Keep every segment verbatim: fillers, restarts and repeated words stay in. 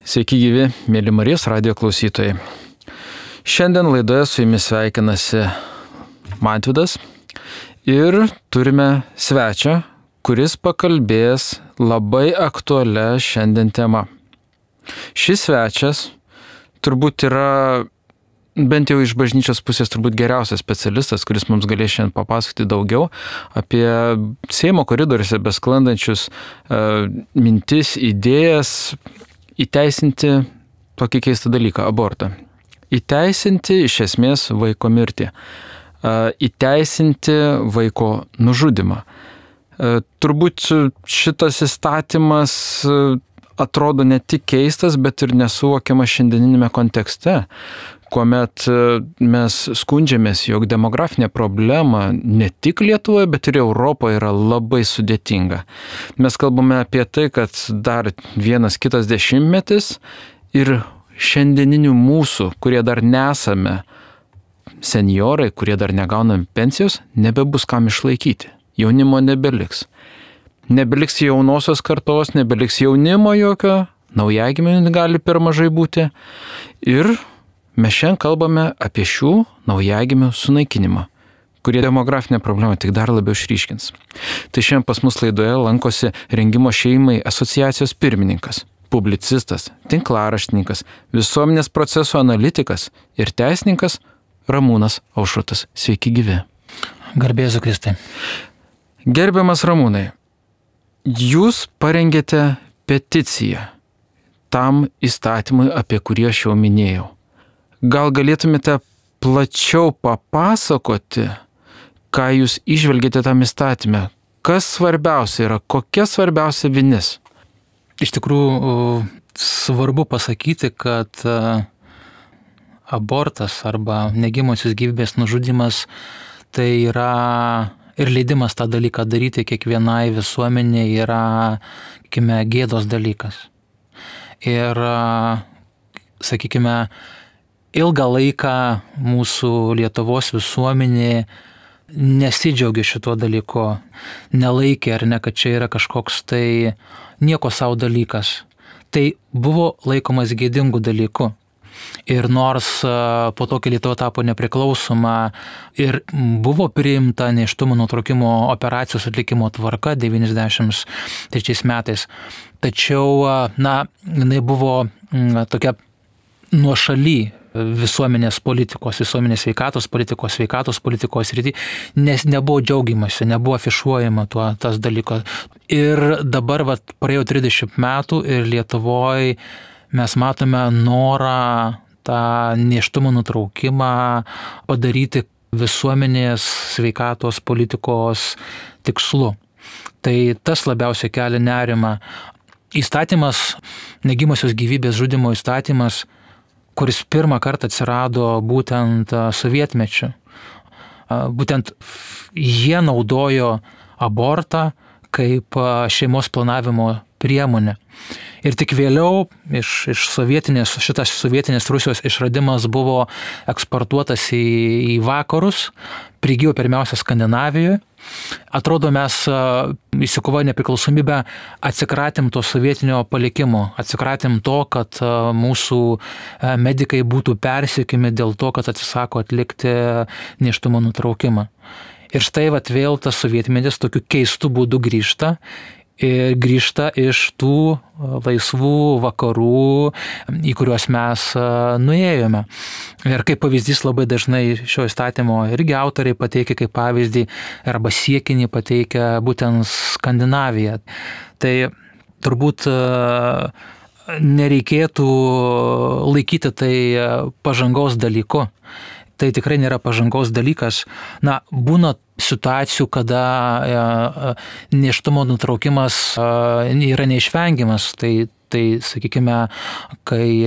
Sveiki gyvi, mėly Marijos radijo klausytojai. Šiandien laidoje su jumis sveikinasi Mantvydas ir turime svečią, kuris pakalbės labai aktualią šiandien temą. Šis svečias turbūt yra, bent jau iš bažnyčios pusės, turbūt geriausias specialistas, kuris mums galės šiandien papasakoti daugiau apie Seimo koridoriuose besklandančius uh, mintis, idėjas, įteisinti tokį keistą dalyką – abortą. Įteisinti iš esmės vaiko mirtį. Įteisinti vaiko nužudymą. Turbūt šitas įstatymas atrodo ne tik keistas, bet ir nesuvokiamas šiandieninėme kontekste, kuomet mes skundžiamės, jog demografinė problema ne tik Lietuvoje, bet ir Europoje yra labai sudėtinga. Mes kalbame apie tai, kad dar vienas kitas dešimtmetis ir šiandieninių mūsų, kurie dar nesame senjorai, kurie dar negauname pensijos, nebebus kam išlaikyti. Jaunimo nebeliks. Nebeliks jaunosios kartos, nebeliks jaunimo jokio, naujagimių gali per mažai būti. Ir mes šiandien kalbame apie šių naujagimių sunaikinimą, kurie demografinę problemą tik dar labiau išryškins. Tai šiandien pas mus laidoje lankosi Rengimo šeimai asociacijos pirmininkas, publicistas, tinklaraštininkas, visuomenės procesų analitikas ir teisininkas Ramūnas Aušrotas. Sveiki gyvi. Garbė Jėzui Kristui. Gerbiamas Ramūnai, jūs parengėte peticiją tam įstatymui, apie kurį aš jau minėjau. Gal galėtumėte plačiau papasakoti, ką jūs įžvelgėte tam įstatyme? Kas svarbiausia yra? Kokia svarbiausia vinis? Iš tikrųjų, svarbu pasakyti, kad abortas arba negimosios gyvybės nužudymas tai yra ir leidimas tą dalyką daryti kiekvienai visuomeniai yra, sakykime, gėdos dalykas. Ir, sakykime, ilgą laiką mūsų Lietuvos visuomenė nesidžiaugia šituo dalyku, nelaikė ar ne, kad čia yra kažkoks tai nieko savo dalykas. Tai buvo laikomas gėdingu dalyku. Ir nors po to, kai Lietuva tapo nepriklausoma ir buvo priimta nėštumo nutraukimo operacijos atlikimo tvarka devyniasdešimt trečiais metais, tačiau, na, jinai buvo na, tokia nuošaly visuomenės politikos, visuomenės sveikatos politikos, sveikatos politikos rytį, nes nebuvo džiaugiamasi, nebuvo afišuojama tuo tas dalykas. Ir dabar vat, praėjo trisdešimt metų ir Lietuvoje mes matome norą tą nėštumo nutraukimą padaryti visuomenės sveikatos politikos tikslu. Tai tas labiausiai kelia nerimą. Įstatymas, negimosios gyvybės žudymo įstatymas, kuris pirmą kartą atsirado būtent sovietmečiu. Būtent jie naudojo abortą kaip šeimos planavimo priemonę. Ir tik vėliau iš, iš sovietinės, šitas sovietinės Rusijos išradimas buvo eksportuotas į, į vakarus, prigijo pirmiausia Skandinavijoje. Atrodo, mes įsikovoję nepriklausomybę atsikratėm to sovietinio palikimo, atsikratėm to, kad mūsų medikai būtų persekiami dėl to, kad atsisako atlikti nėštumo nutraukimą. Ir štai vat vėl tas sovietmetis tokiu keistu būdu grįžta. Ir grįžta iš tų laisvų vakarų, į kuriuos mes nuėjome. Ir kaip pavyzdys labai dažnai šio įstatymo irgi autoriai pateikia kaip pavyzdį arba siekinį pateikia būtent Skandinaviją. Tai turbūt nereikėtų laikyti tai pažangos dalyku. Tai tikrai nėra pažangos dalykas. Na, būna situacijų, kada nėštumo nutraukimas yra neišvengiamas. Tai, tai sakykime, kai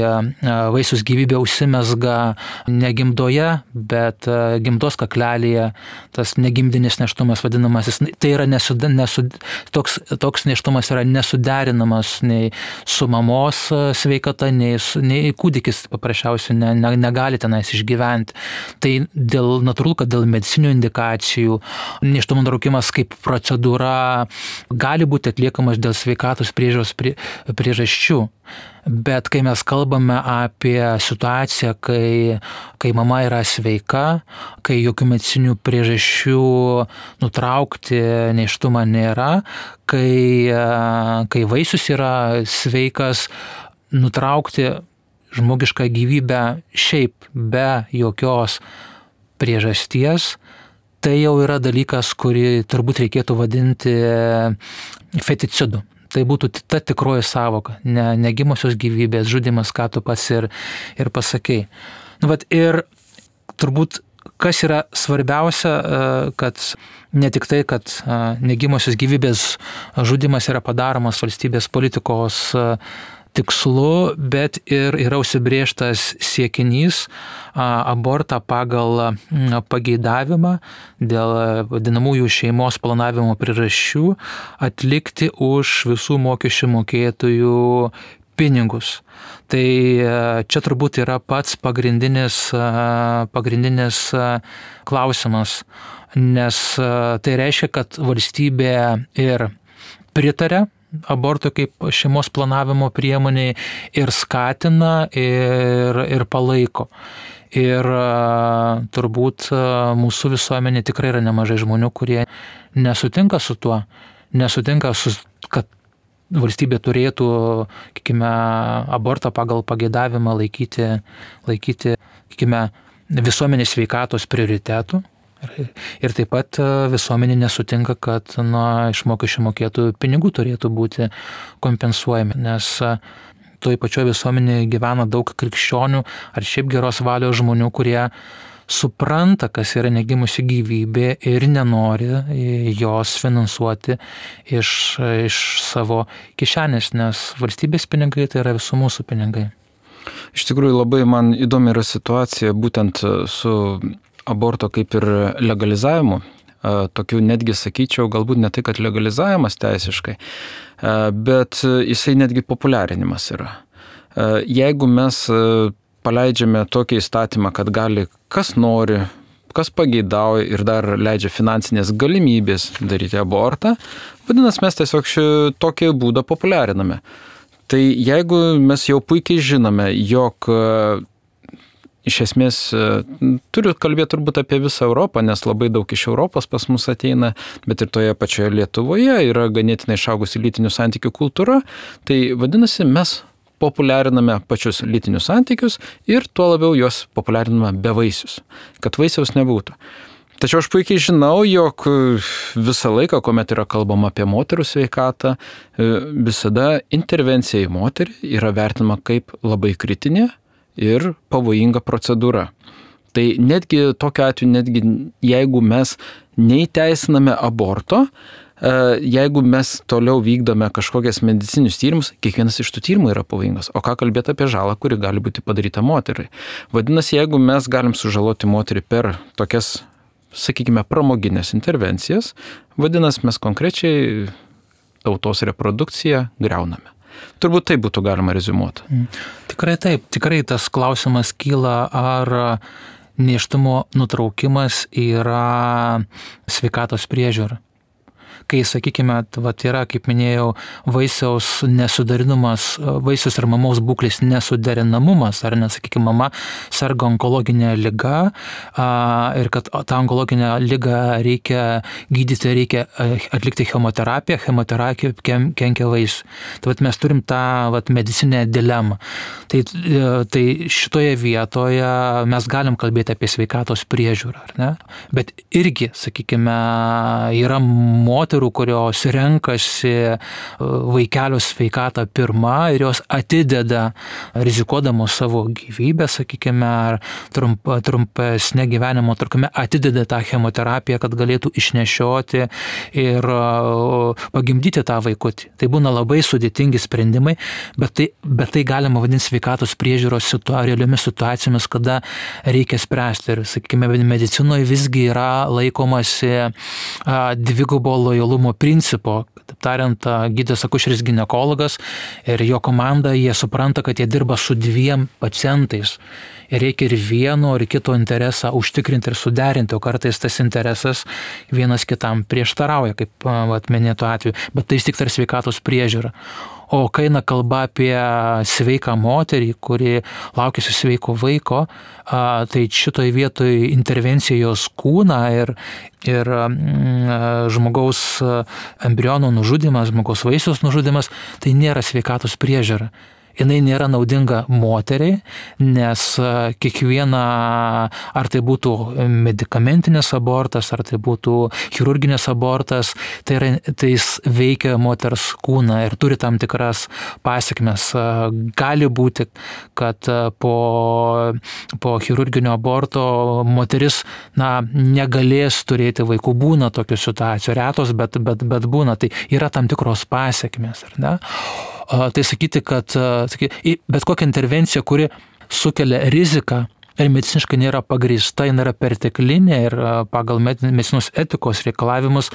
vaisiaus gyvybė užsimezga ne gimdoje, bet gimdos kaklelėje, tas negimdinis nėštumas vadinamasis, tai yra nesud, nesud, toks, toks nėštumas yra nesuderinamas nei su mamos sveikata, nei, nei kūdikis paprasčiausiai ne, ne, negali tenais išgyventi. Tai dėl natūralu, kad dėl medicinių indikacijų nėštumo nutraukimas kaip procedūra gali būti atliekamas dėl sveikatos priežiūros prie, priežasčių, priežasčių. Bet kai mes kalbame apie situaciją, kai, kai mama yra sveika, kai jokių medicinių priežasčių nutraukti nėštumą nėra, kai, kai vaisius yra sveikas, nutraukti žmogišką gyvybę šiaip be jokios priežasties, tai jau yra dalykas, kurį turbūt reikėtų vadinti feticidu. Tai būtų ta tikroji sąvoka, ne negimusios gyvybės žudymas, ką tu pats ir, ir pasakei. Nu, vat, ir turbūt kas yra svarbiausia, kad ne tik tai, kad negimusios gyvybės žudymas yra padaromas valstybės politikos tikslu, bet ir yra užsibrėžtas siekinys abortą pagal pageidavimą dėl vadinamųjų šeimos planavimo priežasčių atlikti už visų mokesčių mokėtojų pinigus. Tai čia turbūt yra pats pagrindinis, pagrindinis klausimas, nes tai reiškia, kad valstybė ir pritarė abortui kaip šeimos planavimo priemoniai ir skatina ir, ir palaiko. Ir turbūt mūsų visuomenė tikrai yra nemažai žmonių, kurie nesutinka su tuo, nesutinka su, kad valstybė turėtų, sakykime, abortą pagal pageidavimą laikyti, laikyti, sakykime, visuomenės sveikatos prioritetų. Ir taip pat visuomenė nesutinka, kad na, iš mokesčių mokėtojų pinigų turėtų būti kompensuojami, nes toj pačioj visuomenėje gyvena daug krikščionių ar šiaip geros valios žmonių, kurie supranta, kas yra negimusi gyvybė ir nenori jos finansuoti iš, iš savo kišenės, nes valstybės pinigai tai yra visų mūsų pinigai. Iš tikrųjų labai man įdomi yra situacija būtent su aborto kaip ir legalizavimu, tokių netgi sakyčiau, galbūt ne tai, kad legalizavimas teisiškai, bet jisai netgi populiarinimas yra. Jeigu mes paleidžiame tokį įstatymą, kad gali kas nori, kas pageidauja ir dar leidžia finansinės galimybės daryti abortą, vadinasi, mes tiesiog tokį būdą populiariname. Tai jeigu mes jau puikiai žinome, jog iš esmės, turiu kalbėti turbūt apie visą Europą, nes labai daug iš Europos pas mus ateina, bet ir toje pačioje Lietuvoje yra ganėtinai išaugusi lytinių santykių kultūra, tai vadinasi, mes populiariname pačius lytinius santykius ir tuo labiau juos populiariname be vaisius, kad vaisiaus nebūtų. Tačiau aš puikiai žinau, jog visą laiką, kuomet yra kalbama apie moterų sveikatą, visada intervencija į moterį yra vertinama kaip labai kritinė ir pavojinga procedūra. Tai netgi tokiu atveju, netgi jeigu mes neįteisiname aborto, jeigu mes toliau vykdome kažkokias medicinius tyrimus, kiekvienas iš tų tyrimų yra pavojingas. O ką kalbėti apie žalą, kuri gali būti padaryta moteriai? Vadinasi, jeigu mes galim sužaloti moterį per tokias, sakykime, pramoginės intervencijas, vadinasi, mes konkrečiai tautos reprodukciją griauname. Turbūt tai būtų galima reziumuoti. Tikrai taip, tikrai tas klausimas kyla, ar nėštumo nutraukimas yra sveikatos priežiūra. Kai, sakykime, vat yra, kaip minėjau, vaisiaus nesuderinamumas, vaisiaus ir mamos būklės nesuderinamumas, ar ne, sakykime, mama serga onkologinė liga ir kad tą onkologinę ligą reikia gydyti, reikia atlikti chemoterapiją, chemoterapija kenkia vaisiui. Tai vat mes turim tą vat medicinę dilemą. Tai, tai šitoje vietoje mes galim kalbėti apie sveikatos priežiūrą, ar ne? Bet irgi, sakykime, yra moterų, kurios renkasi vaikelio sveikatą pirmą ir jos atideda, rizikuodamos savo gyvybę, sakykime, ar trump, trumpesnė gyvenimo trukmė, atideda tą chemoterapiją, kad galėtų išnešioti ir pagimdyti tą vaikutį. Tai būna labai sudėtingi sprendimai, bet tai, bet tai galima vadinti sveikatos priežiūros situa, realiomis situacijomis, kada reikia spręsti. Ir, sakykime, medicinoje visgi yra laikomasi dvigubo lojalumo principo. Taip tariant, gydytojas akušeris ginekologas ir jo komanda, jie supranta, kad jie dirba su dviem pacientais. Ir reikia ir vieno, ir kito interesą užtikrinti ir suderinti, o kartais tas interesas vienas kitam prieštarauja, kaip vat, minėto atveju. Bet tai vis tik tai sveikatos priežiūra. O kai eina kalba apie sveiką moterį, kuri laukiasi sveiko vaiko, tai šitoje vietoje intervencija jos kūną ir, ir žmogaus embriono nužudymas, žmogaus vaisiaus nužudymas, tai nėra sveikatos priežiūra. Jinai nėra naudinga moteriai, nes kiekviena, ar tai būtų medikamentinis abortas, ar tai būtų chirurginis abortas, tai, yra, tai jis veikia moters kūną ir turi tam tikras pasekmes. Gali būti, kad po, po chirurginio aborto moteris na, negalės turėti vaikų, būna tokių situacijų, retos, bet, bet, bet būna, tai yra tam tikros pasekmes, ar ne? Tai sakyti, kad sakyti, bet kokia intervencija, kuri sukelia riziką ir mediciniškai nėra pagrįsta, jinai yra perteklinė ir pagal medicinos etikos reikalavimus,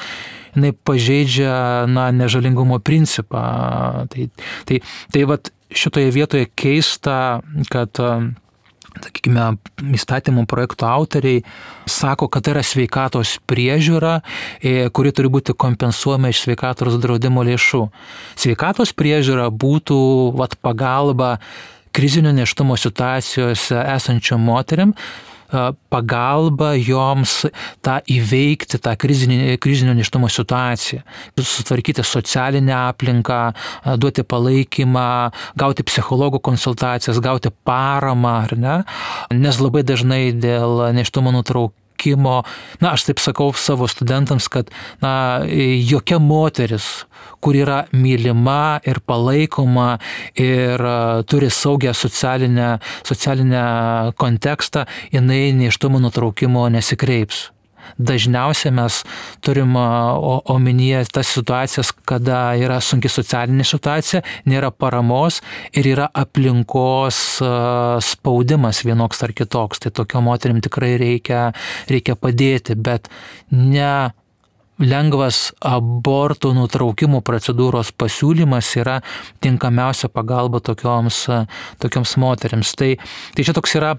jinai pažeidžia na, nežalingumo principą. Tai, tai, tai vat šitoje vietoje keista, kad sakykime, įstatymų projektų autoriai sako, kad tai yra sveikatos priežiūra, kuri turi būti kompensuojama iš sveikatos draudimo lėšų. Sveikatos priežiūra būtų vat, pagalba krizinio nėštumo situacijose esančiom moterim, pagalba joms tą įveikti, tą krizinį, krizinio nėštumo situaciją, sutvarkyti socialinę aplinką, duoti palaikymą, gauti psichologų konsultacijas, gauti paramą, ar ne? Nes labai dažnai dėl nėštumo nutraukimo, na, aš taip sakau savo studentams, kad na, jokia moteris, kur yra mylima ir palaikoma ir uh, turi saugią socialinę, socialinę kontekstą, jinai nėštumo nutraukimo nesikreips. Dažniausiai mes turim omenyje tas situacijas, kada yra sunki socialinė situacija, nėra paramos ir yra aplinkos spaudimas vienoks ar kitoks. Tai tokio moterim tikrai reikia, reikia padėti, bet ne lengvas abortų nutraukimo procedūros pasiūlymas yra tinkamiausia pagalba tokioms, tokioms moteriams. Tai, tai čia toks yra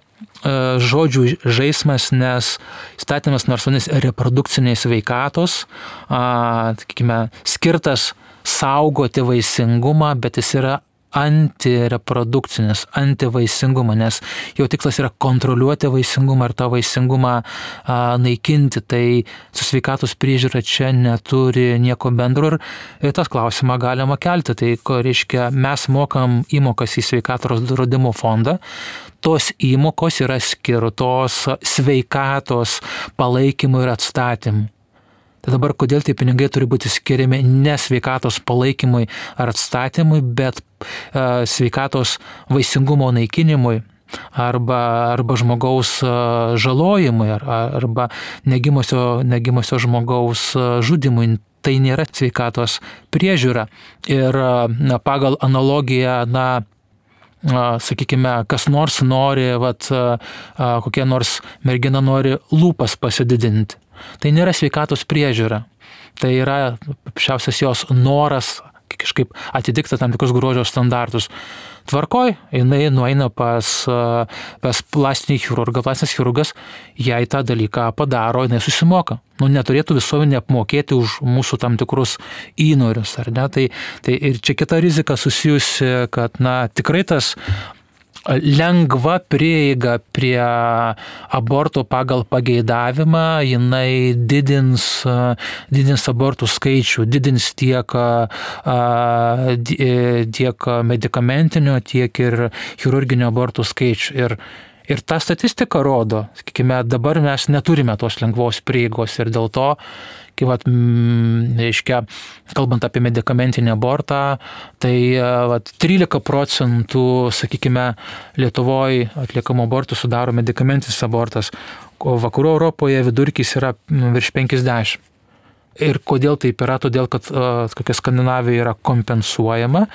žodžių žaismas, nes įstatymas nors vadinasi reprodukcinės sveikatos, sakykime, skirtas saugoti vaisingumą, bet jis yra antireprodukcinis, antivaisingumą, nes jo tikslas yra kontroliuoti vaisingumą ir tą vaisingumą a, naikinti, tai su sveikatos priežiūra čia neturi nieko bendro ir, ir tas klausimą galima kelti. Tai, ko reiškia, mes mokam įmokas į sveikatos draudimo fondą, tos įmokos yra skirtos sveikatos palaikymui ir atstatymui. Tai dabar kodėl tie pinigai turi būti skiriami ne sveikatos palaikymui ar atstatymui, bet uh, sveikatos vaisingumo naikinimui arba, arba žmogaus uh, žalojimui ar, arba negimosio, negimosio žmogaus uh, žudimui. Tai nėra sveikatos priežiūra. Ir na, pagal analogiją, na, sakykime, kas nors nori, vat, kokia nors mergina nori lūpas pasididinti. Tai nėra sveikatos priežiūra. Tai yra paprasčiausias jos noras kažkaip atitikti tam tikrus grožio standartus. Tvarkoj, jinai nueina pas, pas plastinį chirurgą, plastinis chirurgas jai tą dalyką padaro, jinai susimoka. Nu, neturėtų visuomenė apmokėti už mūsų tam tikrus įnorius, ar ne? Tai, tai ir čia kita rizika susijusi, kad na, tikrai tas lengva prieiga prie abortų pagal pageidavimą, jinai didins, didins abortų skaičių, didins tiek, tiek medikamentinio, tiek ir chirurginio abortų skaičių. Ir, ir ta statistika rodo, sakykime, dabar mes neturime tos lengvos prieigos ir dėl to, kai, vat, reiškia, kalbant apie medikamentinį abortą, tai vat, trylika procentų, sakykime, Lietuvoje atliekamų abortų sudaro medikamentinis abortas, o vakarų Europoje vidurkis yra virš penkiasdešimt. Ir kodėl taip yra? Todėl, kad kokia Skandinavija yra kompensuojama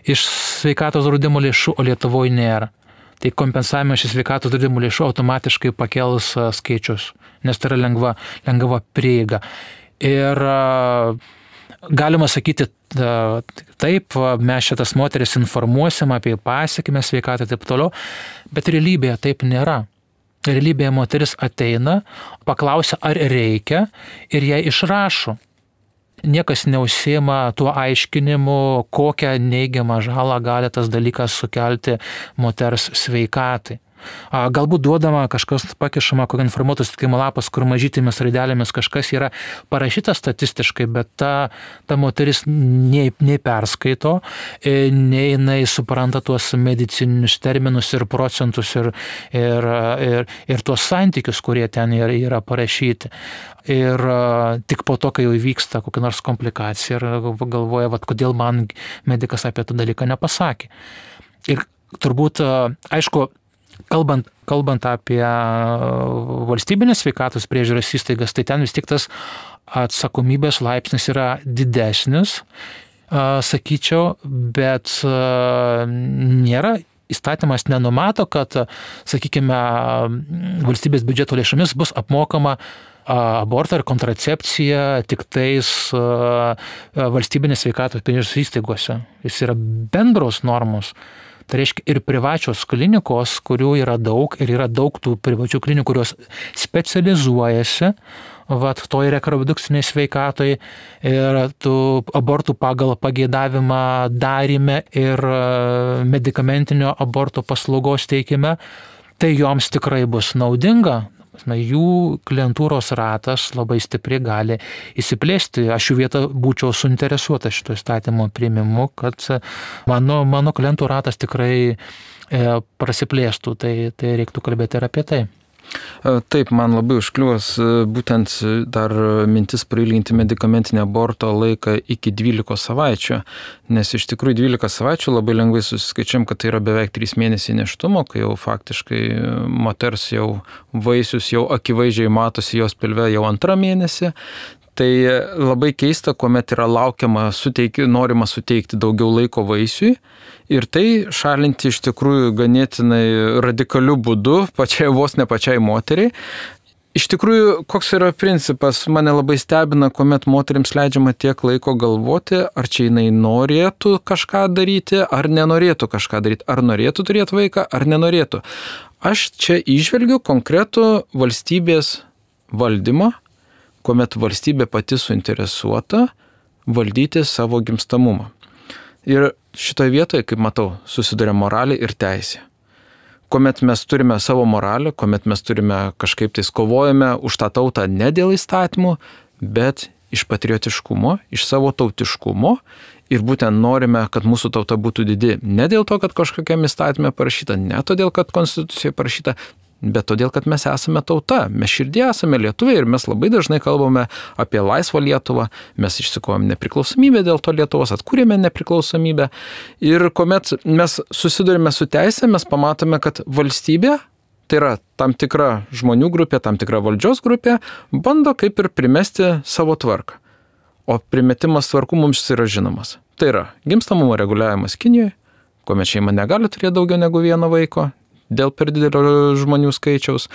iš sveikatos draudimo lėšų, o Lietuvoje nėra. Tai kompensavimas iš sveikatos draudimo lėšų automatiškai pakels skaičius, nes tai yra lengva, lengva prieiga. Ir galima sakyti, taip, mes šitas moteris informuosim apie pasekmę sveikatą ir taip toliau, bet realybėje taip nėra. Realybėje moteris ateina, paklausia, ar reikia, ir jai išrašo. niekas neužsiima tuo aiškinimu, kokią neigiamą žalą gali tas dalykas sukelti moters sveikatai. Galbūt duodama kažkas pakišama, kokio informuotų sutikimo lapas, kur mažytėmis raidelėmis kažkas yra parašyta statistiškai, bet ta, ta moteris nei, nei perskaito, nei jinai supranta tuos medicininius terminus ir procentus ir, ir, ir, ir tuos santykius, kurie ten yra, yra parašyti. Ir tik po to, kai jau įvyksta kokia nors komplikacija ir galvoja, vat, kodėl man medikas apie tą dalyką nepasakė. Ir turbūt, aišku, Kalbant, kalbant apie valstybinės sveikatos priežiūros įstaigas, tai ten vis tik tas atsakomybės laipsnis yra didesnis, sakyčiau, bet nėra, įstatymas nenumato, kad, sakykime, valstybės biudžeto lėšomis bus apmokama abortą ir kontracepciją tik tais valstybinės sveikatos priežiūros įstaigose. Jis yra bendros normos. Tai reiškia ir privačios klinikos, kurių yra daug, ir yra daug tų privačių klinikų, kurios specializuojasi vat, toj reprodukciniai sveikatoj ir tų abortų pagal pageidavimą darime ir medikamentinio aborto paslaugos teikime, tai joms tikrai bus naudinga. Jų klientūros ratas labai stipriai gali įsiplėsti. Aš jų vietą būčiau suinteresuota šito įstatymo priėmimu, kad mano, mano klientų ratas tikrai prasiplėstų. Tai, tai reiktų kalbėti ir apie tai. Taip, man labai užkliuos būtent dar mintis prailginti medikamentinį aborto laiką iki dvylikos savaičių, nes iš tikrųjų dvylika savaičių labai lengvai susiskaičiam, kad tai yra beveik trys mėnesiai nėštumo, kai jau faktiškai moters jau vaisius jau akivaizdžiai matosi jos pilve jau antrą mėnesį. Tai labai keista, kuomet yra laukiama, suteiki, norima suteikti daugiau laiko vaisiui ir tai šalinti iš tikrųjų ganėtinai radikaliu būdu, pačiai vos ne pačiai moteriai. Iš tikrųjų, koks yra principas, mane labai stebina, kuomet moterims leidžiama tiek laiko galvoti, ar čia jinai norėtų kažką daryti, ar nenorėtų kažką daryti, ar norėtų turėti vaiką, ar nenorėtų. Aš čia įžvelgiu konkretų valstybės valdymą, kuomet valstybė pati suinteresuota valdyti savo gimstamumą. Ir šitoje vietoje, kaip matau, susiduria moralė ir teisė. Kuomet mes turime savo moralę, kuomet mes turime kažkaip tais kovojame už tą tautą ne dėl įstatymų, bet iš patriotiškumo, iš savo tautiškumo ir būtent norime, kad mūsų tauta būtų didi. Ne dėl to, kad kažkokiam įstatymė parašyta, ne todėl, kad konstitucijoje parašyta, bet todėl, kad mes esame tauta, mes širdie esame lietuviai ir mes labai dažnai kalbame apie laisvą Lietuvą, mes išsikovėm nepriklausomybę dėl to Lietuvos, atkūrėme nepriklausomybę ir kuomet mes susidurime su teisė, mes pamatome, kad valstybė, tai yra tam tikra žmonių grupė, tam tikra valdžios grupė, bando kaip ir primesti savo tvarką. O primetimas tvarkų mums yra žinomas. Tai yra gimstamumo reguliavimas Kinijoje, kuomet šeima negali turėti daugiau negu vieno vaiko, dėl per didelio žmonių skaičiaus.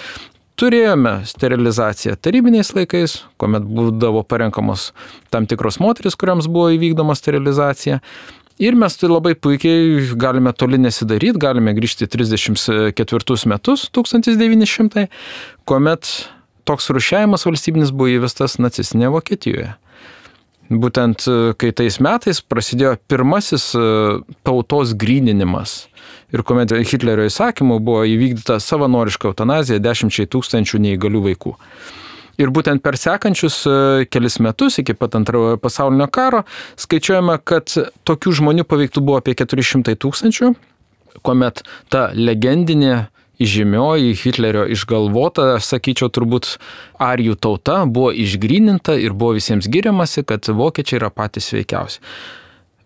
Turėjome sterilizaciją tarybiniais laikais, kuomet būdavo parenkamos tam tikros moteris, kuriams buvo įvykdoma sterilizacija. Ir mes tai labai puikiai galime toli nesidaryti, galime grįžti trisdešimt ketvirtus metus, tūkstantis devyni šimtai, kuomet toks rūšiavimas valstybinis buvo įvestas nacistinėje Vokietijoje. Būtent kai tais metais prasidėjo pirmasis tautos gryninimas ir kuomet Hitlerio įsakymu buvo įvykdyta savanoriška eutanazija dešimčiai tūkstančių neįgalių vaikų. Ir būtent per sekančius kelis metus iki pat antrojo pasaulinio karo skaičiuojama, kad tokių žmonių paveiktų buvo apie keturi šimtai tūkstančių, kuomet ta legendinė įžymioji Hitlerio išgalvota, sakyčiau, turbūt arijų tauta buvo išgryninta ir buvo visiems giriamasi, kad vokiečiai yra patys sveikiausi.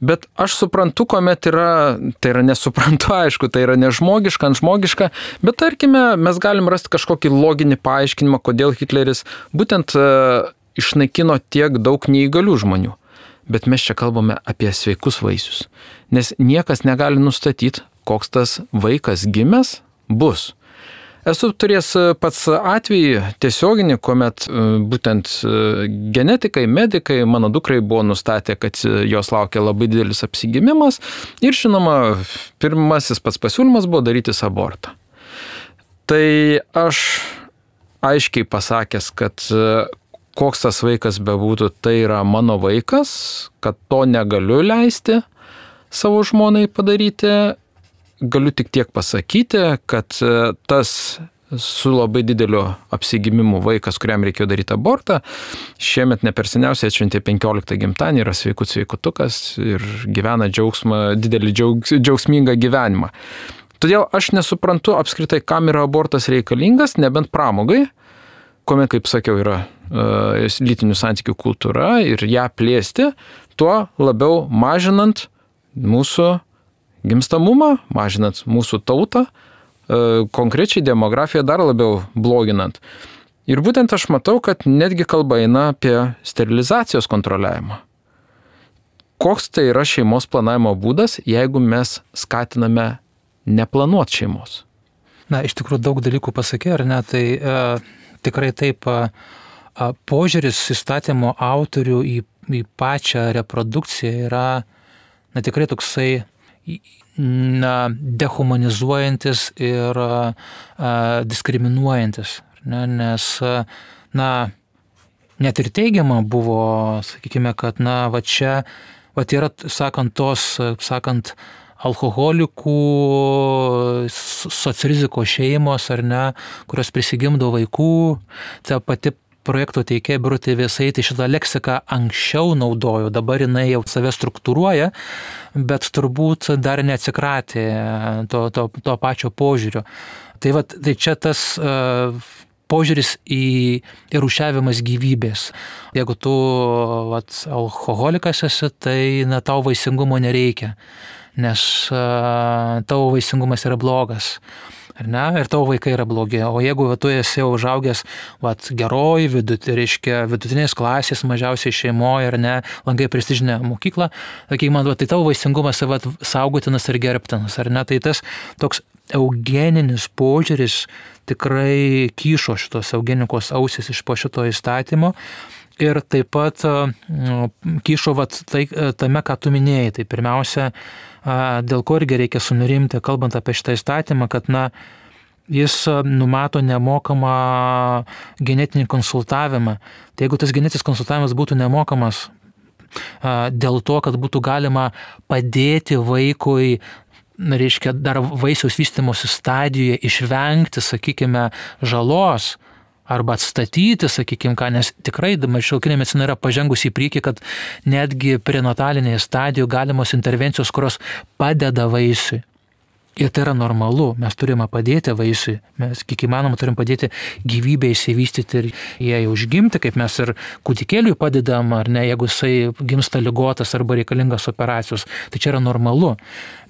Bet aš suprantu, kuomet yra, tai yra nesuprantu, aišku, tai yra nežmogiška, antžmogiška, bet tarkime, mes galim rasti kažkokį loginį paaiškinimą, kodėl Hitleris būtent uh, išnaikino tiek daug neįgalių žmonių. Bet mes čia kalbame apie sveikus vaisius, nes niekas negali nustatyti, koks tas vaikas gimęs bus. Esu turėjęs pats atvejį tiesioginį, kuomet būtent genetikai, medikai mano dukrai buvo nustatę, kad jos laukia labai didelis apsigimimas ir žinoma, pirmasis pats pasiūlymas buvo darytis abortą. Tai aš aiškiai pasakęs, kad koks tas vaikas bebūtų, tai yra mano vaikas, kad to negaliu leisti savo žmonai padaryti. Galiu tik tiek pasakyti, kad tas su labai dideliu apsigimimu vaikas, kuriam reikėjo daryti abortą, šiemet ne per seniausiai atšventė penkioliktą gimtadienį, yra sveikut sveikutukas ir gyvena džiaugsmą, didelį džiaugs, džiaugsmingą gyvenimą. Todėl aš nesuprantu apskritai, kam yra abortas reikalingas, nebent pramogai, kuomet, kaip sakiau, yra e, lytinių santykių kultūra ir ją plėsti, tuo labiau mažinant mūsų gimstamumą, mažinant mūsų tautą, e, konkrečiai demografiją dar labiau bloginant. Ir būtent aš matau, kad netgi kalba eina apie sterilizacijos kontroliavimą. Koks tai yra šeimos planavimo būdas, jeigu mes skatiname neplanuot šeimos? Na, iš tikrųjų daug dalykų pasakė, ar ne, tai e, tikrai taip e, požiūris įstatymo autorių į, į pačią reprodukciją yra, na, tikrai toksai, na, dehumanizuojantis ir a, diskriminuojantis, ne, nes, na, net ir teigiama buvo, sakykime, kad, na, va čia, va yra, sakant, tos, sakant, alkoholikų, socriziko šeimos, ar ne, kurios prisigimdo vaikų, ta pati projekto teikėja Birutė Vėsaitė šitą leksiką anksčiau naudojo, dabar jinai jau save struktūruoja, bet turbūt dar neatsikratė to, to, to pačio požiūrio. Tai, va, tai čia tas uh, požiūris į rūšiavimas gyvybės. Jeigu tu vat, alkoholikas esi, tai na, tau vaisingumo nereikia, nes uh, tavo vaisingumas yra blogas. Ar ne? Ir tavo vaikai yra blogi. O jeigu va, tu esi jau užaugęs vat, geroj, vidut, reiškia, vidutinės klasės, mažiausiai šeimoje, ar ne, lankai prestižinę mokyklą, sakai, man, va, tai tavo vaisingumas va, saugotinas ir gerbtinas. Ar ne? Tai tas toks eugeninis požiūris tikrai kyšo šitos eugenikos ausis iš po šito įstatymo. Ir taip pat kyšo vat, tai, tame, ką tu minėjai. Tai pirmiausia, dėl ko irgi reikia sunerimti, kalbant apie šitą įstatymą, kad na, jis numato nemokamą genetinį konsultavimą. Tai jeigu tas genetinis konsultavimas būtų nemokamas dėl to, kad būtų galima padėti vaikui, reiškia, dar vaisiaus vystymosi stadijoje išvengti, sakykime, žalos, arba atstatyti, sakykime, ką, nes tikrai šiuolaikinė medicina yra pažengusi į priekį, kad netgi prenatalinėje stadijoje galimos intervencijos, kurios padeda vaisiui. Ir tai yra normalu, mes turime padėti vaisiui, mes kiek įmanoma turim padėti gyvybę įsivystyti ir jai užgimti, kaip mes ir kūdikėliui padedam, ar ne, jeigu jisai gimsta ligotas arba reikalingas operacijos, tai čia yra normalu.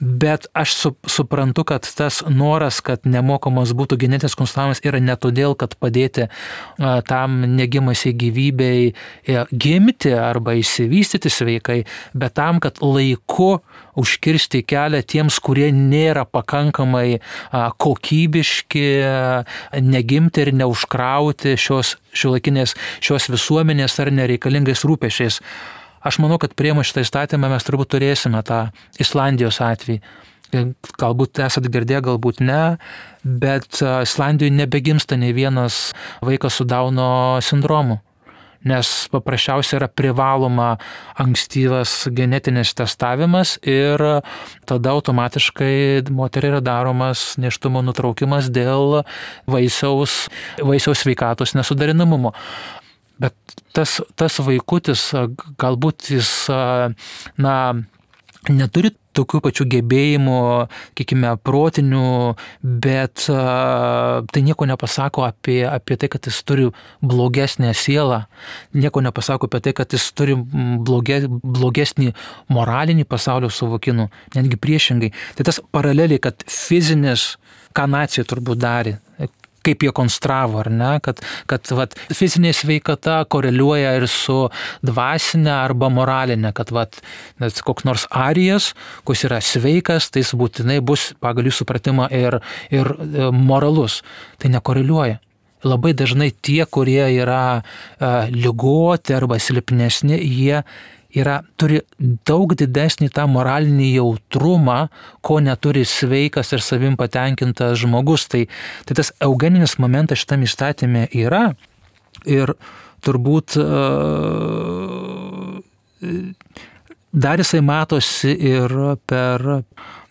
Bet aš su, suprantu, kad tas noras, kad nemokamas būtų genetinis konsultavimas yra ne todėl, kad padėti a, tam negimusiai gyvybei a, gimti arba įsivystyti sveikai, bet tam, kad laiku užkirsti kelią tiems, kurie nėra pakankamai a, kokybiški, a, negimti ir neužkrauti šios šiuolaikinės, šios visuomenės ar nereikalingais rūpešiais. Aš manau, kad priėmus šitą įstatymą mes turbūt turėsime tą Islandijos atvejį. Galbūt esat girdėję, galbūt ne, bet Islandijoje nebegimsta nei vienas vaikas su Dauno sindromu, nes paprasčiausiai yra privaloma ankstyvas genetinis testavimas ir tada automatiškai moteriai yra daromas nėštumo nutraukimas dėl vaisiaus, vaisiaus sveikatos nesuderinamumo. Bet tas, tas vaikutis, galbūt jis, na, neturi tokių pačių gebėjimų, kiekime, protinių, bet tai nieko nepasako apie, apie tai, kad jis turi blogesnę sielą, nieko nepasako apie tai, kad jis turi bloge, blogesnį moralinį pasaulio suvokimą, netgi priešingai. Tai tas paraleliai, kad fizinis, ką nacija turbūt darė, kaip jie konstravo, ar ne, kad, kad vat, fizinė sveikata koreliuoja ir su dvasinė arba moralinė, kad vat, koks nors arijas, kuris yra sveikas, tai jis būtinai bus pagal jų supratimą ir, ir moralus. Tai nekoreliuoja. Labai dažnai tie, kurie yra uh, ligoti arba silpnesni, jie yra, turi daug didesnį tą moralinį jautrumą, ko neturi sveikas ir savim patenkintas žmogus. Tai, tai tas eugeninis momentas šitam įstatyme yra. Ir turbūt dar jisai matosi ir per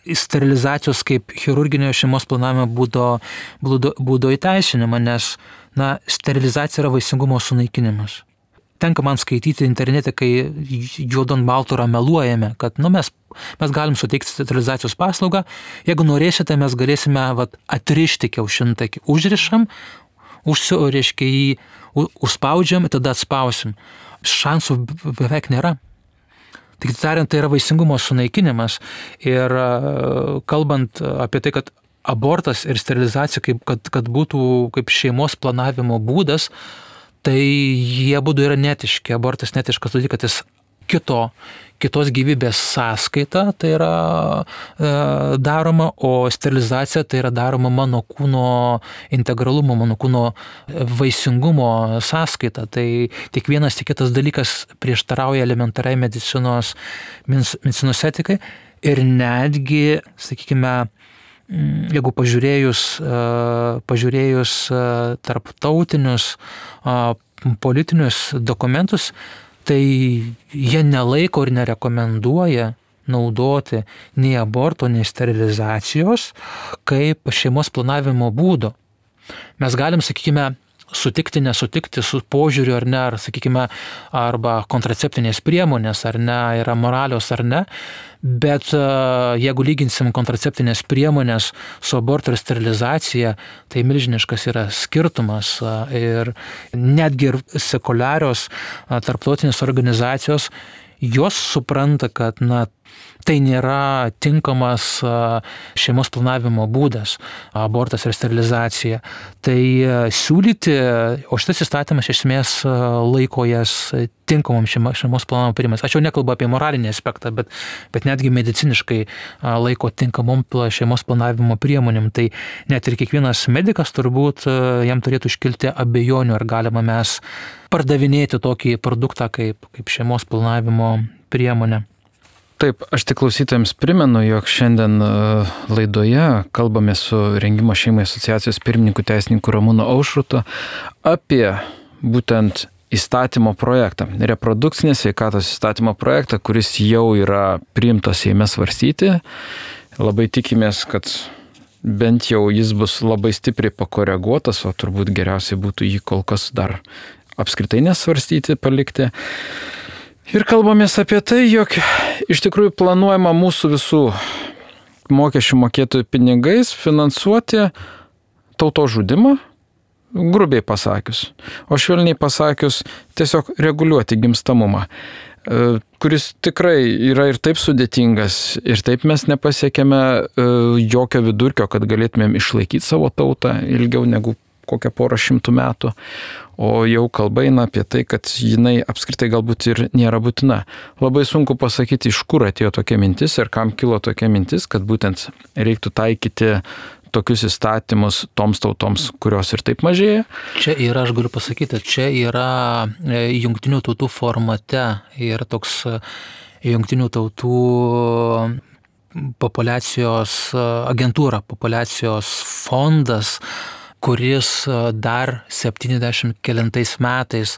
sterilizacijos kaip chirurginio šeimos planavimo būdo, būdo, būdo įteisinimą, nes na, sterilizacija yra vaisingumo sunaikinimas. Tenka man skaityti internete, kai juodon balto yra meluojame, kad nu, mes, mes galim suteikti sterilizacijos paslaugą, jeigu norėsite, mes galėsime vat, atrišti kiaušintakį, užrišam, užsioriškai jį, užspaudžiam, tada atspausim. Šansų beveik nėra. Tik tariant, tai yra vaisingumo sunaikinimas ir kalbant apie tai, kad abortas ir sterilizacija, kaip, kad, kad būtų kaip šeimos planavimo būdas, tai jie būdų yra netiški. Abortas netiškas, todėl kad jis kito, kitos gyvybės sąskaita tai yra e, daroma, o sterilizacija tai yra daroma mano kūno integralumo, mano kūno vaisingumo sąskaita. Tai tik vienas, tik kitas dalykas prieštarauja elementariai medicinos, medicinos etikai ir netgi, sakykime, jeigu pažiūrėjus, pažiūrėjus tarptautinius politinius dokumentus, tai jie nelaiko ir nerekomenduoja naudoti nei aborto, nei sterilizacijos kaip šeimos planavimo būdo. Mes galim, sakykime, sutikti, nesutikti su požiūriu ar ne, ar, sakykime, arba kontraceptinės priemonės, ar ne, yra moralios ar ne, bet jeigu lyginsim kontraceptinės priemonės su aborto ir sterilizacija, tai milžiniškas yra skirtumas ir netgi ir sekuliarios tarptautinės organizacijos, jos supranta, kad na, tai nėra tinkamas šeimos planavimo būdas, abortas ir sterilizacija. Tai siūlyti, o šitas įstatymas iš esmės laiko jas tinkamom šeimos planavimo priemonėms. Aš jau nekalbu apie moralinį aspektą, bet, bet netgi mediciniškai laiko tinkamom šeimos planavimo priemonėm. Tai net ir kiekvienas medikas turbūt jam turėtų iškilti abejonių, ar galima mes pardavinėti tokį produktą kaip, kaip šeimos planavimo priemonę. Taip, aš tik klausytojams primenu, jog šiandien laidoje kalbame su Rengimo šeimai asociacijos pirmininku teisininku Ramūnu Aušrutu apie būtent įstatymo projektą, reprodukcinės sveikatos įstatymo projektą, kuris jau yra priimtas Seime svarstyti. Labai tikimės, kad bent jau jis bus labai stipriai pakoreguotas, o turbūt geriausiai būtų jį kol kas dar apskritai nesvarstyti, palikti. Ir kalbamės apie tai, jog iš tikrųjų planuojama mūsų visų mokesčių mokėtojų pinigais finansuoti tautos žudimą, grubiai pasakius, o švelniai pasakius tiesiog reguliuoti gimstamumą, kuris tikrai yra ir taip sudėtingas, ir taip mes nepasiekėme jokio vidurkio, kad galėtumėm išlaikyti savo tautą ilgiau negu kokią porą šimtų metų, o jau kalba eina apie tai, kad jinai apskritai galbūt ir nėra būtina. Labai sunku pasakyti, iš kur atėjo tokia mintis ir kam kilo tokia mintis, kad būtent reiktų taikyti tokius įstatymus toms tautoms, kurios ir taip mažėja. Čia yra, aš galiu pasakyti, čia yra jungtinių tautų formate ir toks jungtinių tautų populiacijos agentūra, populiacijos fondas, kuris dar septyniasdešimt kelintais metais,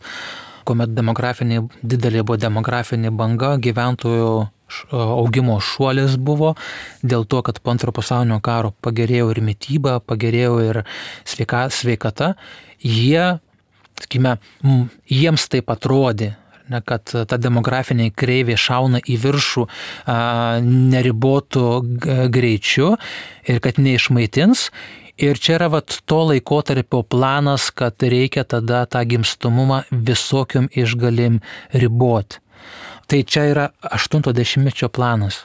kuomet demografinė, didelė buvo demografinė banga, gyventojų augimo šuolis buvo, dėl to, kad po antro pasaulinio karo pagerėjo ir mityba, pagerėjo ir sveika, sveikata, jie, sakykime, jiems taip atrodė, ne, kad ta demografinė kreivė šauna į viršų a, neribotų greičiu ir kad neišmaitins. Ir čia yra vat, to laikotarpio planas, kad reikia tada tą gimstamumą visokiom išgalim riboti. Tai čia yra aštunto dešimtmečio planas.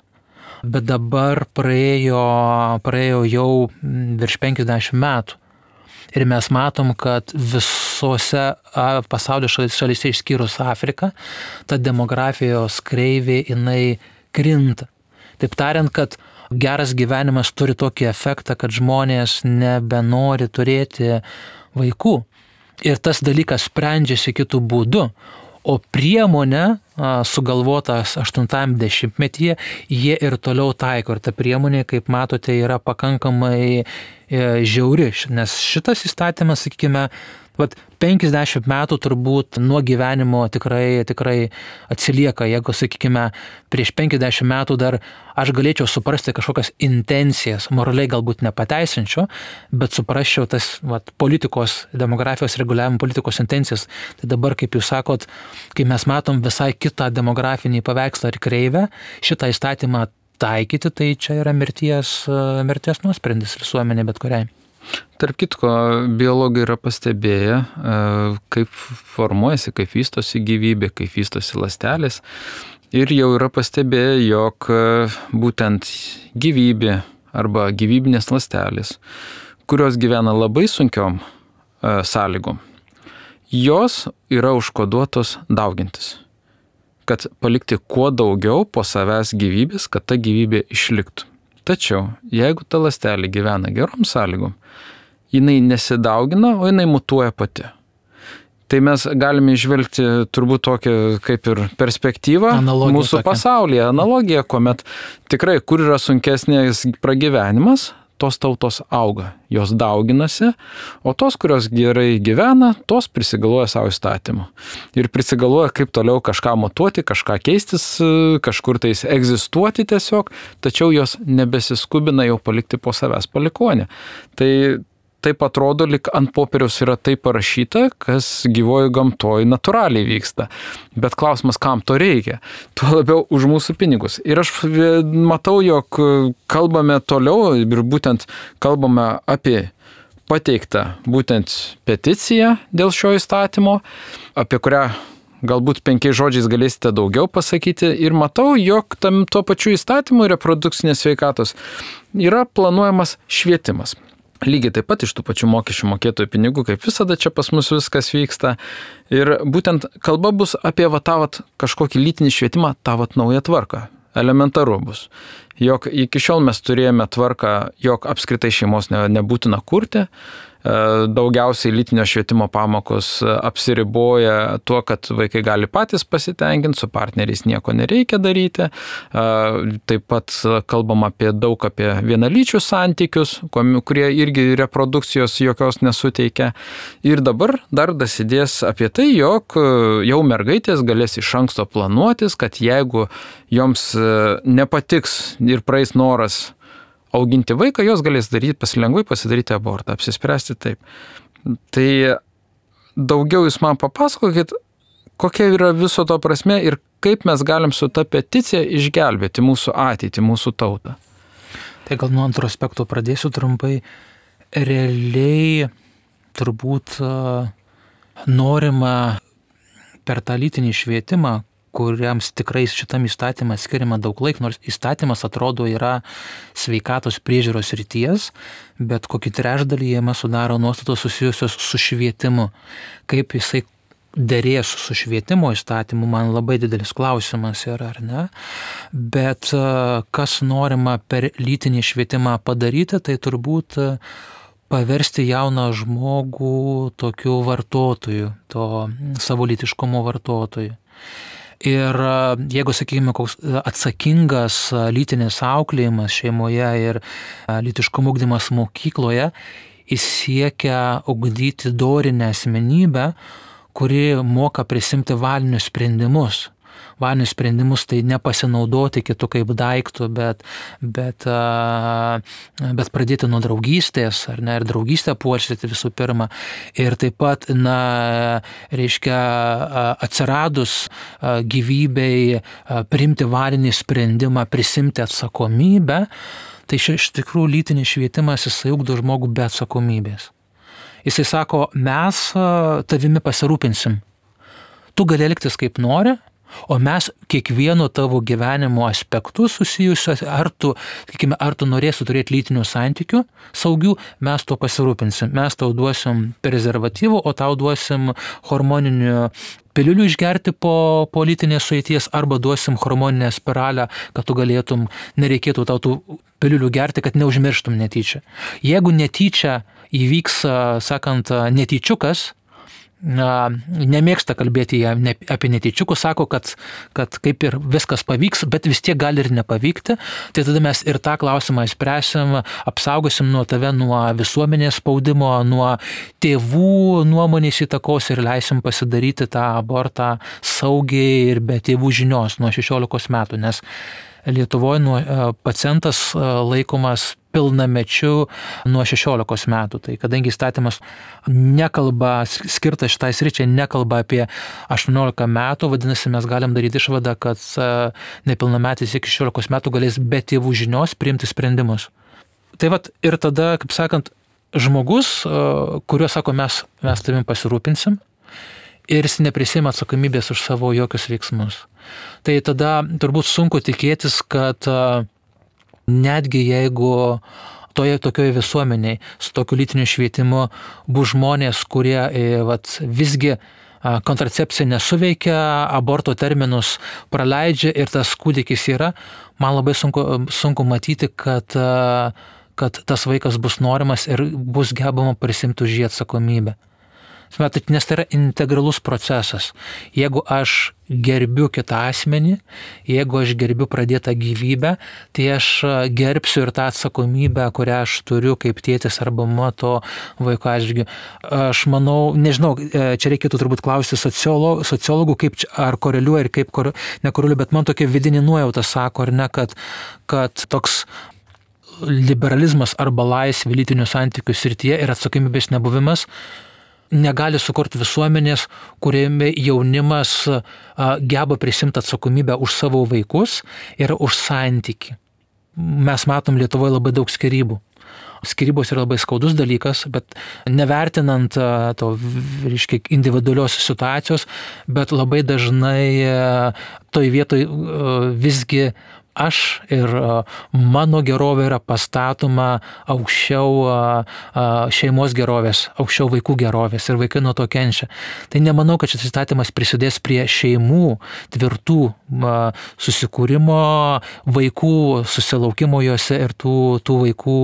Bet dabar praėjo, praėjo jau virš penkiasdešimt metų. Ir mes matom, kad visose pasaulio šalyse išskyrus Afriką, ta demografijos kreivė jinai krinta. Taip tariant, kad geras gyvenimas turi tokį efektą, kad žmonės nebenori turėti vaikų. Ir tas dalykas sprendžiasi kitų būdų. O priemonė sugalvotas aštuntajam dešimtmetyje, jie ir toliau taiko. Ir ta priemonė, kaip matote, yra pakankamai žiauri. Nes šitas įstatymas, sakykime, Vat penkiasdešimt metų turbūt nuo gyvenimo tikrai, tikrai atsilieka. Jeigu, sakykime, prieš penkiasdešimt metų dar aš galėčiau suprasti kažkokias intencijas, moraliai galbūt nepateisinčiau, bet suprasčiau tas vat, politikos, demografijos reguliavimo politikos intencijas. Tai dabar, kaip jūs sakot, kai mes matom visai kitą demografinį paveikslą ar kreivę, šitą įstatymą taikyti, tai čia yra mirties, mirties nuosprendis visuomenė bet kuriai. Tarp kitko, biologai yra pastebėję, kaip formuojasi, kaip vystosi gyvybė, kaip vystosi ląstelės. Ir jau yra pastebėję, jog būtent gyvybė arba gyvybinės ląstelės, kurios gyvena labai sunkiom sąlygom, jos yra užkoduotos daugintis. Kad palikti kuo daugiau po savęs gyvybės, kad ta gyvybė išliktų. Tačiau, jeigu ta ląstelė gyvena gerom sąlygom, jinai nesidaugina, o jinai mutuoja pati. Tai mes galime išvelgti turbūt tokią kaip ir perspektyvą Analogija mūsų tokia. pasaulyje, analogiją, kuomet tikrai, kur yra sunkesnės pragyvenimas, tos tautos auga, jos dauginasi, o tos, kurios gerai gyvena, tos prisigalvoja savo įstatymų. Ir prisigalvoja, kaip toliau kažką mutuoti, kažką keistis, kažkur tais egzistuoti tiesiog, tačiau jos nebesiskubina jau palikti po savęs palikonę. Tai taip atrodo, lyg ant popieriaus yra taip parašyta, kas gyvojo gamtoje natūraliai vyksta. Bet klausimas, kam to reikia? Tuo labiau už mūsų pinigus. Ir aš matau, jog kalbame toliau ir būtent kalbame apie pateiktą būtent peticiją dėl šio įstatymo, apie kurią galbūt penkiais žodžiais galėsite daugiau pasakyti. Ir matau, jog tam tuo pačiu įstatymu reprodukcinės sveikatos yra planuojamas švietimas. Lygiai taip pat iš tų pačių mokesčių mokėtojų pinigų, kaip visada čia pas mus viskas vyksta. Ir būtent kalba bus apie va, tą vat, kažkokį lytinį švietimą, tą vat, naują tvarką. Elementaru bus. Jog iki šiol mes turėjome tvarką, jog apskritai šeimos ne, nebūtina kurti. Daugiausiai lytinio švietimo pamokos apsiriboja tuo, kad vaikai gali patys pasitenkinti, su partneriais nieko nereikia daryti. Taip pat kalbam apie daug apie vienalyčius santykius, kurie irgi reprodukcijos jokios nesuteikia. Ir dabar dar dasidės apie tai, jog jau mergaitės galės iš anksto planuotis, kad jeigu joms nepatiks ir praeis noras auginti vaiką, jos galės daryti, pasilengvai pasidaryti abortą, apsispręsti taip. Tai daugiau jūs man papasakokit, kokia yra viso to prasme ir kaip mes galim su ta peticija išgelbėti mūsų ateitį, mūsų tautą. Tai gal nuo antro aspekto pradėsiu trumpai. Realiai turbūt norima per tą lytinį švietimą, kuriams tikrai šitam įstatymas skiriama daug laiko, nors įstatymas atrodo yra sveikatos priežiūros ryties, bet kokį trečdalį jame sudaro nuostatos susijusios su švietimu. Kaip jisai derės su švietimo įstatymu, man labai didelis klausimas yra, ar ne? Bet kas norima per lytinį švietimą padaryti, tai turbūt paversti jauną žmogų tokiu vartotoju, to savo lytiškumo vartotoju. Ir jeigu, sakykime, koks atsakingas lytinis auklėjimas šeimoje ir lytiškumo ugdymas mokykloje, jis siekia ugdyti dorinę asmenybę, kuri moka prisimti valinius sprendimus. Valinius sprendimus tai nepasinaudoti kitų kaip daiktų, bet, bet, bet pradėti nuo draugystės, ar ne, ir draugystę puoselėti visų pirma. Ir taip pat, na, reiškia, atsiradus gyvybei priimti valinį sprendimą, prisimti atsakomybę, tai iš tikrųjų lytinis švietimas jisai ugdo žmogų be atsakomybės. Jisai sako, mes tavimi pasirūpinsim. Tu gali elgtis kaip nori, o mes kiekvieno tavo gyvenimo aspektų susijusios, ar tu, sakykime, ar tu norėsi turėti lytinių santykių saugių, mes to pasirūpinsim. Mes tau duosim prezervatyvų, o tau duosim hormoninių piliulių išgerti po, po lytinės sueities, arba duosim hormoninę spiralę, kad tu galėtum, nereikėtų tau tų piliulių gerti, kad neužmirštum netyčia. Jeigu netyčia įvyks, sakant, netyčiukas, na, nemėgsta kalbėti jie ne, apie netyčiukus, sako, kad, kad kaip ir viskas pavyks, bet vis tiek gali ir nepavykti. Tai tada mes ir tą klausimą įspręsim, apsaugosim nuo tave nuo visuomenės spaudimo, nuo tėvų nuomonės įtakos ir leisim pasidaryti tą abortą saugiai ir be tėvų žinios nuo šešiolikos metų, nes Lietuvoje nuo, pacientas laikomas pilnamečiu nuo šešiolikos metų. Tai kadangi įstatymas nekalba, skirtas šitai sričiai, nekalba apie aštuoniolika metų, vadinasi, mes galim daryti išvadą, kad nepilnametis iki šešiolikos metų galės be tėvų žinios priimti sprendimus. Tai vat ir tada, kaip sakant, žmogus, kuriuo sako, mes, mes tavim pasirūpinsim, ir jis neprisima atsakomybės už savo jokius veiksmus. Tai tada turbūt sunku tikėtis, kad netgi jeigu toje tokioje visuomeniai su tokiu lytiniu švietimu bus žmonės, kurie vat, visgi kontracepcija nesuveikia, aborto terminus praleidžia ir tas kūdikis yra, man labai sunku, sunku matyti, kad, kad tas vaikas bus norimas ir bus gebama prisimti už jį atsakomybę. Nes tai yra integralus procesas. Jeigu aš gerbiu kitą asmenį, jeigu aš gerbiu pradėtą gyvybę, tai aš gerbsiu ir tą atsakomybę, kurią aš turiu kaip tėtis arba mama to vaiko atžvilgiu. Aš manau, nežinau, čia reikėtų turbūt klausti sociolo, sociologų, kaip čia, ar koreliuoja ir kaip kor, nekoreliuoja, bet man tokia vidinė nuojauta sako, ar ne, kad, kad toks liberalizmas arba laisvė lytinių santykių srityje ir atsakomybės nebuvimas negali sukurti visuomenės, kuriame jaunimas geba prisimti atsakomybę už savo vaikus ir už santykį. Mes matom Lietuvoje labai daug skyrybų. Skyrybos yra labai skaudus dalykas, bet nevertinant to, reiškia, individualios situacijos, bet labai dažnai toj vietoj visgi aš ir mano gerovė yra pastatoma aukščiau šeimos gerovės, aukščiau vaikų gerovės ir vaikai nuo to kenčia. Tai nemanau, kad šis įstatymas prisidės prie šeimų tvirtų susikūrimo, vaikų susilaukimo juose ir tų, tų vaikų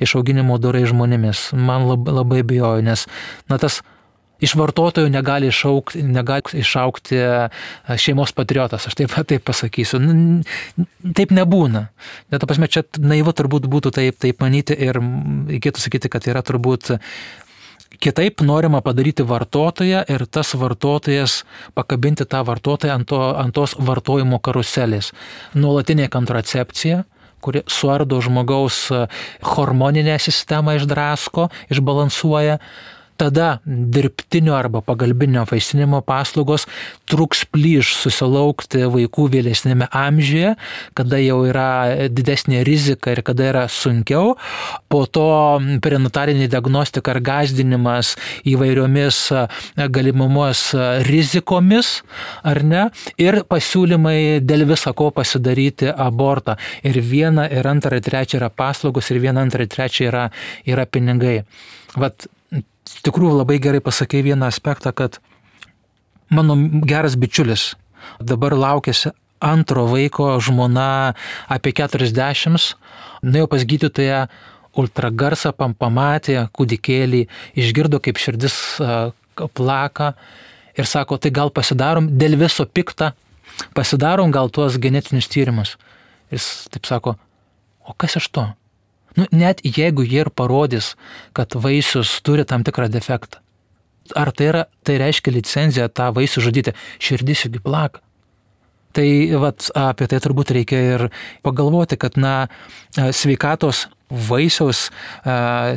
išauginimo dorai žmonėmis. Man labai, labai bijoju, nes na, tas iš vartotojų negali išaukti, negali išaukti šeimos patriotas, aš taip, taip pasakysiu. Taip nebūna. Net ta prasme, čia naivu turbūt būtų taip, taip manyti ir reikėtų sakyti, kad yra turbūt kitaip norima padaryti vartotoją ir tas vartotojas pakabinti tą vartotoją ant, to, ant tos vartojimo karuselės. Nuolatinė kontracepcija, kuri suardo žmogaus hormoninę sistemą, išdrasko, išbalansuoja. Tada dirbtinio arba pagalbinio vaisinimo paslaugos truks plyš susilaukti vaikų vėlesnėme amžiuje, kada jau yra didesnė rizika ir kada yra sunkiau. Po to prenatalinė diagnostika ir gąsdinimas įvairiomis galimumos rizikomis, ar ne, ir pasiūlymai dėl viso ko pasidaryti abortą. Ir viena, ir antra, ir trečia yra paslaugos, ir viena, antra, ir trečia yra, yra pinigai. Vat, iš tikrųjų labai gerai pasakei vieną aspektą, kad mano geras bičiulis dabar laukėsi antro vaiko, žmona apie keturiasdešimt, nuėjo pas gydytoją, ultragarsą pamatė kūdikėlį, išgirdo kaip širdis plaka ir sako, tai gal pasidarom dėl viso pikta, pasidarom gal tuos genetinius tyrimus. Jis taip sako, o kas iš to? Nu, net jeigu jie ir parodys, kad vaisius turi tam tikrą defektą, ar tai, yra, tai reiškia licenciją tą vaisių žudyti, širdis juk plaka. Tai vat, apie tai turbūt reikia ir pagalvoti, kad na, sveikatos vaisiaus,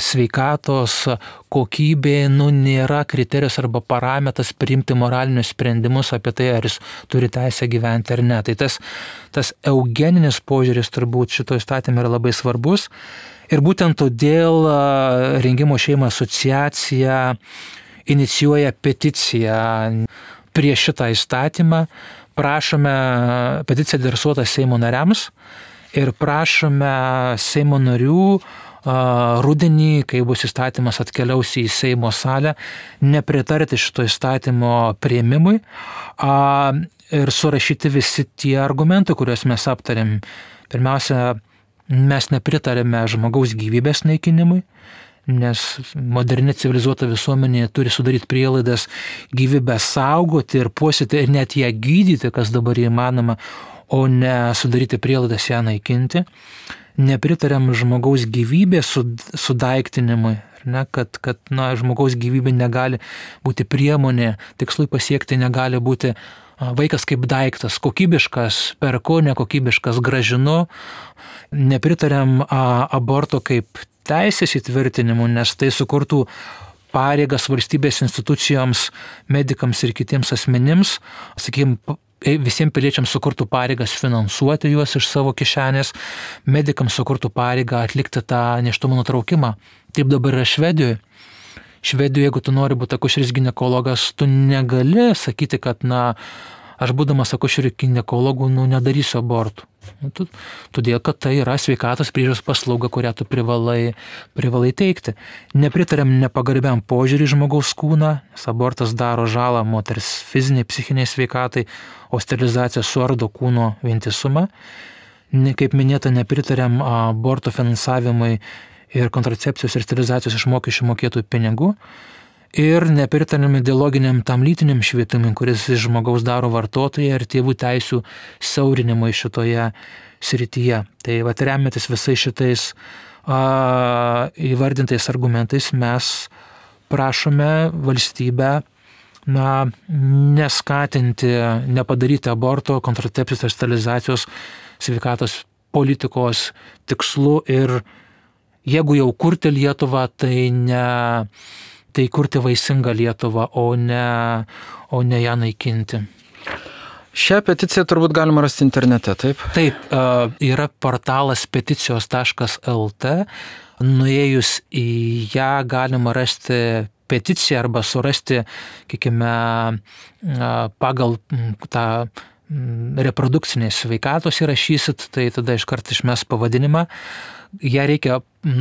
sveikatos kokybė nu, nėra kriterijus arba parametras priimti moralinius sprendimus apie tai, ar jis turi teisę gyventi ar ne. Tai tas, tas eugeninis požiūris turbūt šito įstatyme yra labai svarbus. Ir būtent todėl Rengimo šeimą asociacija inicijuoja peticiją prieš šitą įstatymą. Prašome, peticija adresuota Seimo nariams ir prašome Seimo narių rudenį, kai bus įstatymas atkeliaus į Seimo salę, nepritarti šito įstatymo priėmimui ir surašyti visi tie argumentai, kuriuos mes aptarėm. Pirmiausia, mes nepritarėme žmogaus gyvybės naikinimui, nes moderni civilizuota visuomenė turi sudaryti prielaidas gyvybę saugoti ir puoselėti ir net ją gydyti, kas dabar įmanoma, o ne sudaryti prielaidas ją naikinti. Nepritariam žmogaus gyvybės sudaiktinimui, ne, kad, kad na, žmogaus gyvybė negali būti priemonė, tikslui pasiekti negali būti vaikas kaip daiktas, kokybiškas perku, nekokybiškas gražinu. Nepritariam a, aborto kaip teisės įtvirtinimu, nes tai sukurtų pareigas valstybės institucijoms, medikams ir kitiems asmenims, sakykime, visiems piliečiams sukurtų pareigas finansuoti juos iš savo kišenės, medikams sukurtų pareigą atlikti tą nėštumo nutraukimą. Taip dabar yra Švedijoje. Švedijoje, jeigu tu nori būti akušeris ginekologas, tu negali sakyti, kad na, aš būdamas akušeriu ginekologu, nu, nedarysiu abortų. Todėl, kad tai yra sveikatos priežiūros paslauga, kurią tu privalai, privalai teikti. Nepritariam nepagarbiam požiūrį žmogaus kūną, nes abortas daro žalą moters fiziniai, psichiniai sveikatai, o sterilizacija suardo kūno vientisumą. Kaip minėta, nepritariam aborto finansavimui ir kontracepcijos ir sterilizacijos iš mokesčių mokėtojų pinigų. Ir nepritariam ideologiniam tam lytiniam švietimui, kuris iš žmogaus daro vartotoją ir tėvų teisių siaurinimui šitoje srityje. Tai vat remiantis visais šitais a, įvardintais argumentais mes prašome valstybę na, neskatinti, nepadaryti aborto, kontracepcijos ir sterilizacijos sveikatos politikos tikslų ir jeigu jau kurti Lietuvą, tai ne... tai kurti vaisingą Lietuvą, o ne, o ne ją naikinti. Šią peticiją turbūt galima rasti internete, taip? Taip, yra portalas peticijos taškas el t. Nuėjus į ją galima rasti peticiją arba surasti, kiekime, pagal tą reprodukcinės sveikatos įrašysit, tai tada iškart išmes pavadinimą. Ją reikia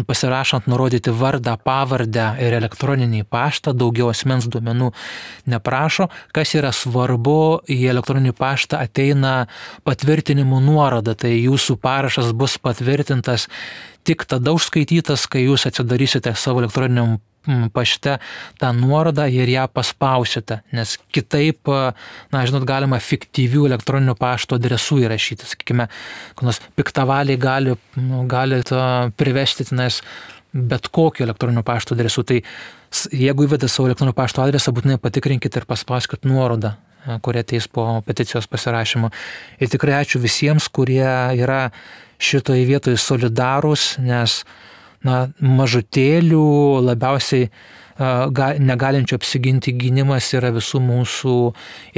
pasirašant nurodyti vardą, pavardę ir elektroninį paštą, daugiau asmens duomenų neprašo. Kas yra svarbu, į elektroninį paštą ateina patvirtinimų nuoroda, tai jūsų parašas bus patvirtintas tik tada užskaitytas, kai jūs atsidarysite savo elektroniniam pašte tą nuorodą ir ją paspausite, nes kitaip, na, žinot, galima fiktyvių elektroninių pašto adresų įrašyti, sakykime, kokios piktavaliai gali, nu, gali privesti tenais bet kokio elektroninių pašto adresų. Tai jeigu įvedate savo elektroninio pašto adresą, būtinai patikrinkite ir paspauskite nuorodą, kurie ateis po peticijos pasirašymo. Ir tikrai ačiū visiems, kurie yra šitoje vietoje solidarūs, nes na, mažutėlių labiausiai ga, negalinčių apsiginti gynimas yra visų mūsų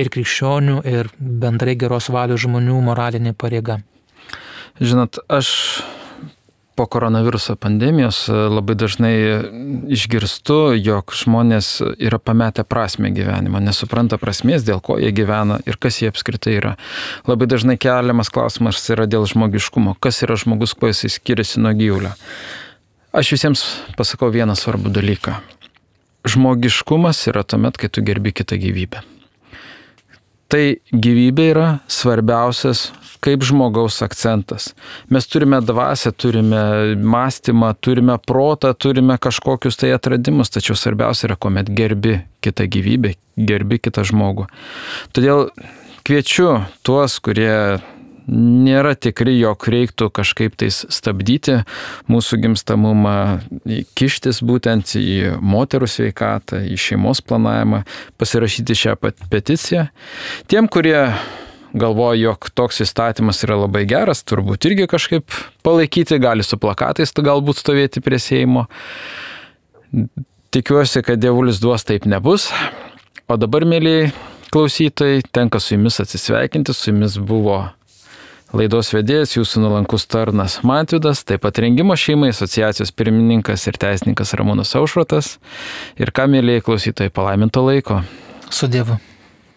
ir krikščionių, ir bendrai geros valios žmonių moralinė pareiga. Žinot, aš po koronaviruso pandemijos labai dažnai išgirstu, jog žmonės yra pametę prasmę gyvenimo, nesupranta prasmės, dėl ko jie gyvena ir kas jie apskritai yra. Labai dažnai keliamas klausimas yra dėl žmogiškumo, kas yra žmogus, kuo jis skiriasi nuo gyvulio. Aš visiems pasakau vieną svarbų dalyką. Žmogiškumas yra tuomet, kai tu gerbi kitą gyvybę. Tai gyvybė yra svarbiausias kaip žmogaus akcentas. Mes turime dvasią, turime mąstymą, turime protą, turime kažkokius tai atradimus, tačiau svarbiausia yra, kuomet gerbi kitą gyvybę, gerbi kitą žmogų. Todėl kviečiu tuos, kurie nėra tikri, jog reiktų kažkaip tais stabdyti mūsų gimstamumą, kištis būtent į moterų sveikatą, į šeimos planavimą, pasirašyti šią peticiją. Tiem, kurie galvoja, jog toks įstatymas yra labai geras, turbūt irgi kažkaip palaikyti, gali su plakatais galbūt stovėti prie Seimo. Tikiuosi, kad dievulis duos taip nebus. O dabar, mėlyjei klausytojai, tenka su jumis atsisveikinti, su jumis buvo laidos vedėjas, jūsų nuolankus tarnas Mantvydas, taip pat Rengimo šeimai asociacijos pirmininkas ir teisininkas Ramūnas Aušrotas. Ir ką, mėlyjei klausytojai, palaiminto laiko. Su Dievu.